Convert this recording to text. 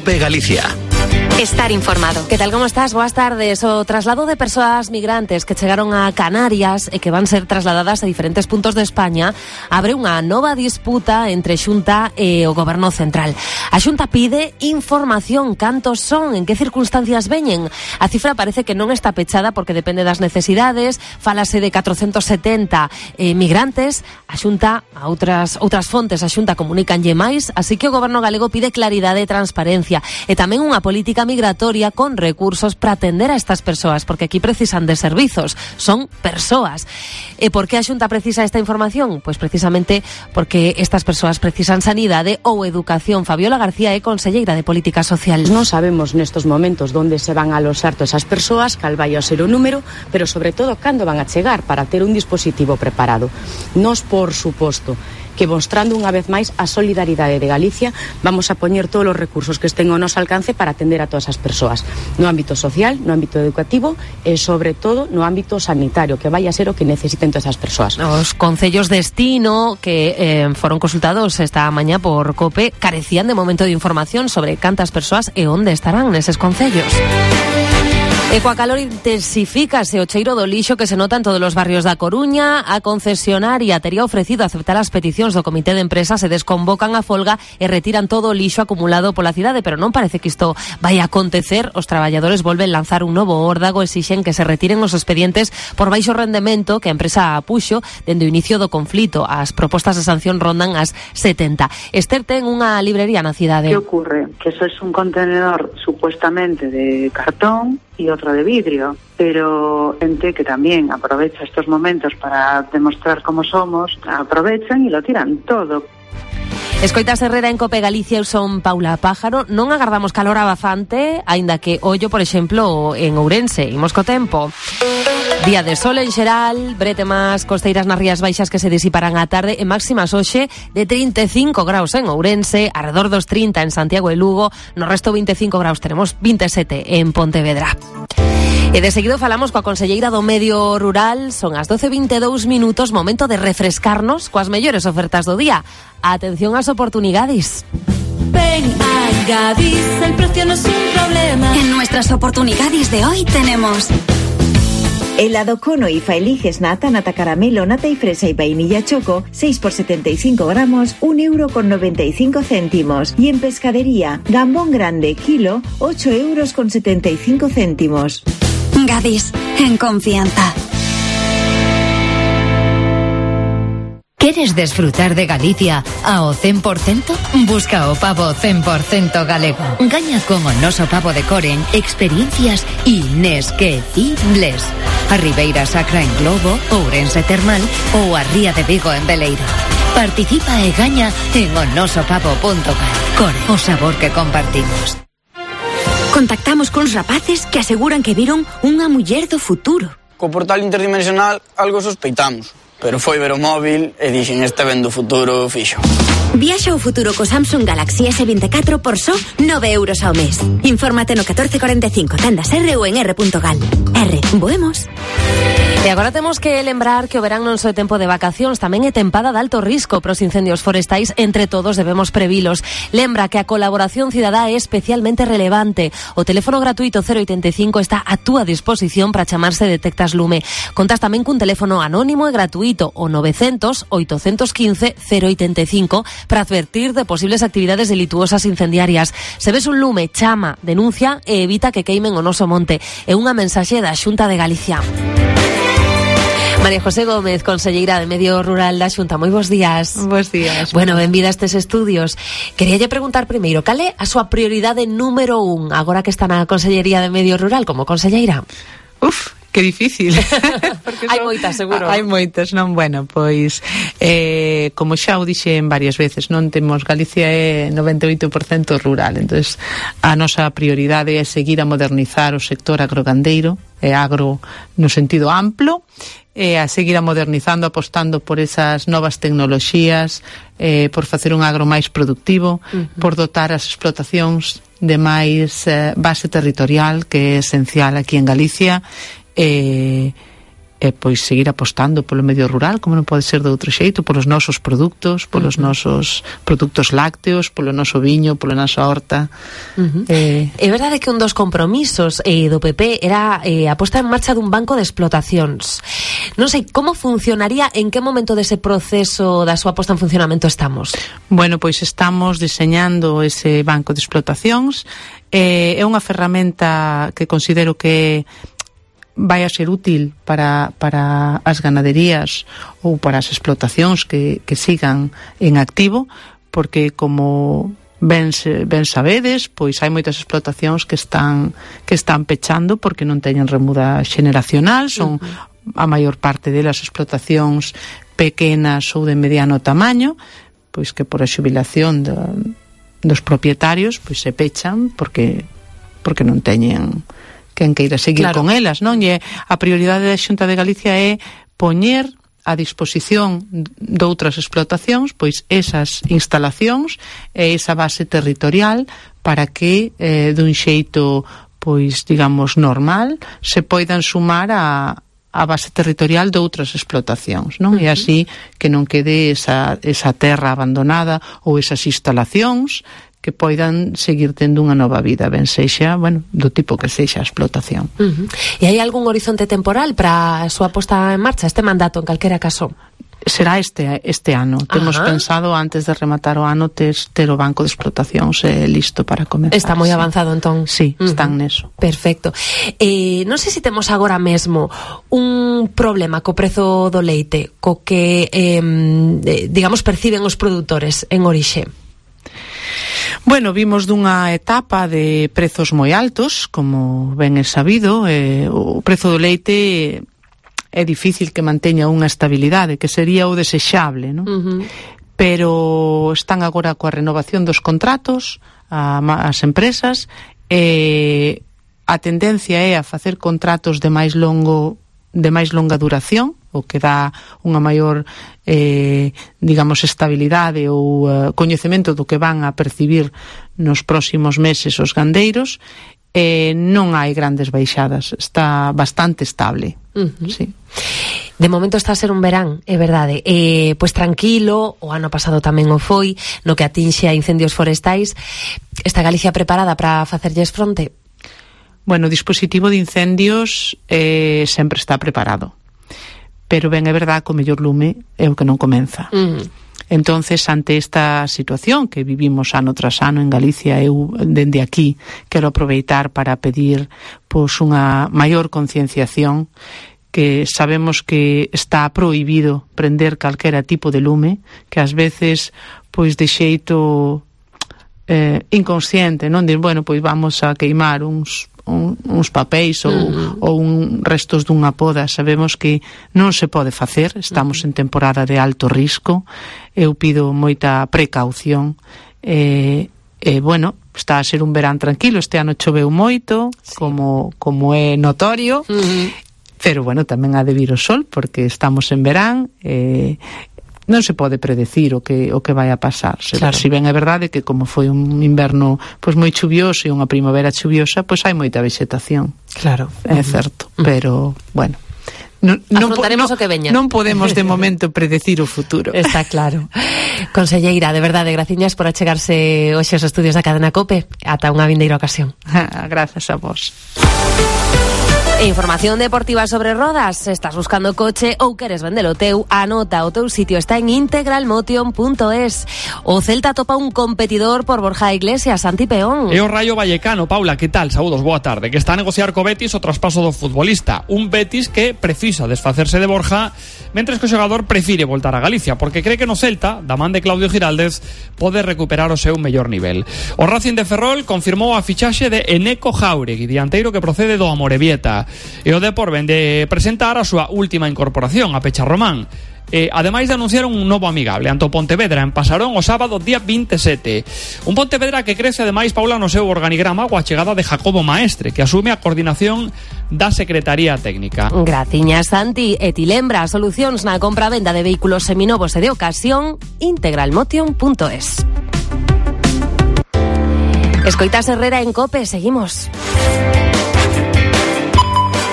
COPE Galicia. Estar informado. Que tal, como estás? Boas tardes. O traslado de persoas migrantes que chegaron a Canarias e que van ser trasladadas a diferentes puntos de España abre unha nova disputa entre Xunta e o Goberno Central. A Xunta pide información. Cantos son? En que circunstancias veñen? A cifra parece que non está pechada porque depende das necesidades. Fálase de 470 migrantes. A Xunta, a outras fontes, a Xunta comunicanlle máis, así que o Goberno galego pide claridade e transparencia e tamén unha política migratoria con recursos para atender a estas persoas, porque aquí precisan de servizos, son persoas. E por que a Xunta precisa esta información? Pois precisamente porque estas persoas precisan sanidade ou educación. Fabiola García é conselleira de Política Social. Non sabemos nestos momentos onde se van a aloxar todas esas persoas, cal vai a ser o número, pero sobre todo cando van a chegar para ter un dispositivo preparado. Nos, por suposto, que mostrando unha vez máis a solidaridade de Galicia, vamos a poñer todos os recursos que estén ao noso alcance para atender a todas as persoas, no ámbito social, no ámbito educativo e sobre todo no ámbito sanitario, que vai a ser o que necesiten todas as persoas. Os concellos destino que foron consultados esta mañá por COPE carecían de momento de información sobre cantas persoas e onde estarán neses concellos. E coa calor intensifícase o cheiro do lixo que se nota en todos os barrios da Coruña. A concesionaria tería ofrecido aceptar as peticións do comité de empresa, se desconvocan a folga e retiran todo o lixo acumulado pola cidade, pero non parece que isto vai a acontecer. Os traballadores volven lanzar un novo órdago, exixen que se retiren os expedientes por baixo rendemento que a empresa apuxo dende o inicio do conflito. As propostas de sanción rondan as 70. Esther ten unha librería na cidade. ¿Qué ocurre? Que eso es un contenedor supuestamente de cartón y otro de vidrio, pero gente que también aprovecha estos momentos para demostrar cómo somos, aprovechan y lo tiran todo. Escoitas Herrera en COPE Galicia, eu son Paula Pájaro. Non agardamos calor abafante, aínda que ollo, por exemplo, en Ourense. Imos co tempo. Día de sol en xeral, bretemas costeiras nas Rías Baixas que se disiparán á tarde, e máximas hoxe de 35 graus en Ourense, alrededor dos 30 en Santiago e Lugo, no resto 25 graus, tenemos 27 en Pontevedra. E de seguido falamos coa conselleira do Medio Rural. Son as 12:22 minutos, momento de refrescarnos coas mellores ofertas do día. Atención ás oportunidades. Ven a Gadis, el precio no es un problema. En nuestras oportunidades de hoy tenemos helado cono y faeliges nata caramelo, nata y fresa y vainilla choco, 6 por 75 gramos, €1,95. Y en pescadería, gambón grande, kilo, €8,75. Gadis, en confianza. ¿Queres disfrutar de Galicia ao 100%? Busca o pavo 100% galego. Gaña con o noso pavo de Coren experiencias inesquecibles. A Ribeira Sacra en Globo, Ourense Termal ou a Ría de Vigo en Veleiro. Participa e gaña en onosopavo.gal. Core, o sabor que compartimos. Contactamos cuns rapaces que aseguran que viron unha muller do futuro. Co portal interdimensional algo sospeitamos, pero foi ver o móvil e dixen este ven do futuro fixo. Viaxa ao futuro co Samsung Galaxy S24 por só €9 ao mes. Infórmate no 1445, tendas R ou en r.gal. R, voemos. E agora temos que lembrar que o verán non só é tempo de vacacións, tamén é tempada de alto risco para os incendios forestais. Entre todos debemos previlos. Lembra que a colaboración cidadá é especialmente relevante. O teléfono gratuito 085 está a túa disposición para chamarse Detectas Lume. Contas tamén cun teléfono anónimo e gratuito, o 900 815 085, para advertir de posibles actividades delituosas incendiarias. Se ves un lume, chama, denuncia e evita que queimen o noso monte. É unha mensaxe da Xunta de Galicia. María José Gómez, conselleira de Medio Rural da Xunta, moi bons días. Bos días. Bueno, benvida a estes estudios. Queríalle preguntar primeiro, cal é a súa prioridade número 1 agora que está na Consellería de Medio Rural como conselleira? Que difícil. Hai moitas, seguro. Hai moitas, non? Bueno, pois como xa o dixen varias veces, non temos, Galicia é 98% rural, entonces a nosa prioridade é seguir a modernizar o sector agrogandeiro, e agro no sentido amplo, e a seguir a modernizando, apostando por esas novas tecnoloxías, por facer un agro máis productivo, por dotar as explotacións de máis base territorial, que é esencial aquí en Galicia, e pois seguir apostando polo medio rural, como non pode ser de outro xeito, polos nosos produtos, polos nosos produtos lácteos, polo noso viño, pola nosa horta. É verdade que un dos compromisos do PP era a posta en marcha dun banco de explotacións. Non sei, como funcionaría, en que momento dese proceso da súa posta en funcionamento estamos? Bueno, pois estamos diseñando ese banco de explotacións. É unha ferramenta que considero que vai a ser útil para as ganaderías ou para as explotacións que sigan en activo, porque como ben sabedes, pois hai moitas explotacións que están pechando porque non teñen remuda xeneracional, son a maior parte delas explotacións pequenas ou de mediano tamaño, pois que por a xubilación dos propietarios pois se pechan porque non teñen quen queira seguir con elas, non? E a prioridade da Xunta de Galicia é poñer a disposición de outras explotacións pois esas instalacións e esa base territorial para que dun xeito pois digamos normal se poidan sumar a base territorial de outras explotacións, non? E así que non quede esa terra abandonada ou esas instalacións que poidan seguir tendo unha nova vida, ben sexa, bueno, do tipo que sexa a explotación. E hai algún horizonte temporal para a súa posta en marcha, este mandato, en calquera caso? Será este ano. Temos pensado, antes de rematar o ano, ter o banco de explotacións listo para comenzar. Está moi avanzado, entón? Sí, están neso. Perfecto. Non sei se temos agora mesmo un problema co prezo do leite, co que, digamos, perciben os produtores en orixe. Bueno, vimos dunha etapa de prezos moi altos, como ben é sabido, o prezo do leite é difícil que manteña unha estabilidade, que sería o desexable, non? Pero están agora coa renovación dos contratos as empresas, e a tendencia é a facer contratos de máis longa duración, o que dá unha maior digamos estabilidade ou coñecemento do que van a percibir nos próximos meses os gandeiros. Non hai grandes baixadas, está bastante estable. Sí. De momento está a ser un verán, é verdade, pois tranquilo, o ano pasado tamén o foi, no que atinxe a incendios forestais. Está Galicia preparada para facerlles fronte? Bueno, o dispositivo de incendios sempre está preparado, pero ben é verdade que o mellor lume é o que non comeza. Entonces, ante esta situación que vivimos ano tras ano en Galicia, eu dende aquí quero aproveitar para pedir pois unha maior concienciación, que sabemos que está prohibido prender calquera tipo de lume, que ás veces pois de xeito inconsciente, non? Dir, bueno, pois vamos a queimar uns papéis ou restos dunha poda. Sabemos que non se pode facer, estamos en temporada de alto risco. Eu pido moita precaución, bueno, está a ser un verán tranquilo. Este ano choveu moito, como é notorio, pero bueno, tamén ha de vir o sol, porque estamos en verán, non se pode predecir o que vai a pasar. Claro. Si ben é verdade que como foi un inverno pois moi chuvioso e unha primavera chuviosa, pois hai moita vexetación. Claro. É certo, pero bueno, afrontaremos o que veña. Non podemos de momento predecir o futuro. Está claro. Conselleira, de verdade, graciñas por achegarse hoxe aos estudios da Cadena COPE. Ata unha vindeira ocasión. Grazas a vos. Información deportiva sobre rodas. Estás buscando coche ou queres vendelo teu? Anota, o teu sitio está en integralmotion.es. O Celta topa un competidor por Borja Iglesias, Santi Peón. E o Rayo Vallecano, Paula, que tal? Saúdos, boa tarde. Que está a negociar co Betis o traspaso do futbolista. Un Betis que precisa desfacerse de Borja, mentres que o xogador prefire voltar a Galicia, porque cree que no Celta, da man de Claudio Giraldez, pode recuperar o seu mellor nivel. O Racing de Ferrol confirmou a fichaxe de Eneco Jauregui, dianteiro que procede do Amorebieta. E o Depor vende presentar a súa última incorporación, a Pecharromán. Ademais de anunciar un novo amigable ante o Pontevedra en Pasarón o sábado día 27. Un Pontevedra que crece ademais, Paula, no seu organigrama coa chegada de Jacobo Maestre, que asume a coordinación da Secretaría Técnica. Graciñas, Santi. E ti lembra solucións na compra-venda de vehículos seminovos e de ocasión, integralmotion.es. Escoitas Herrera en COPE, seguimos.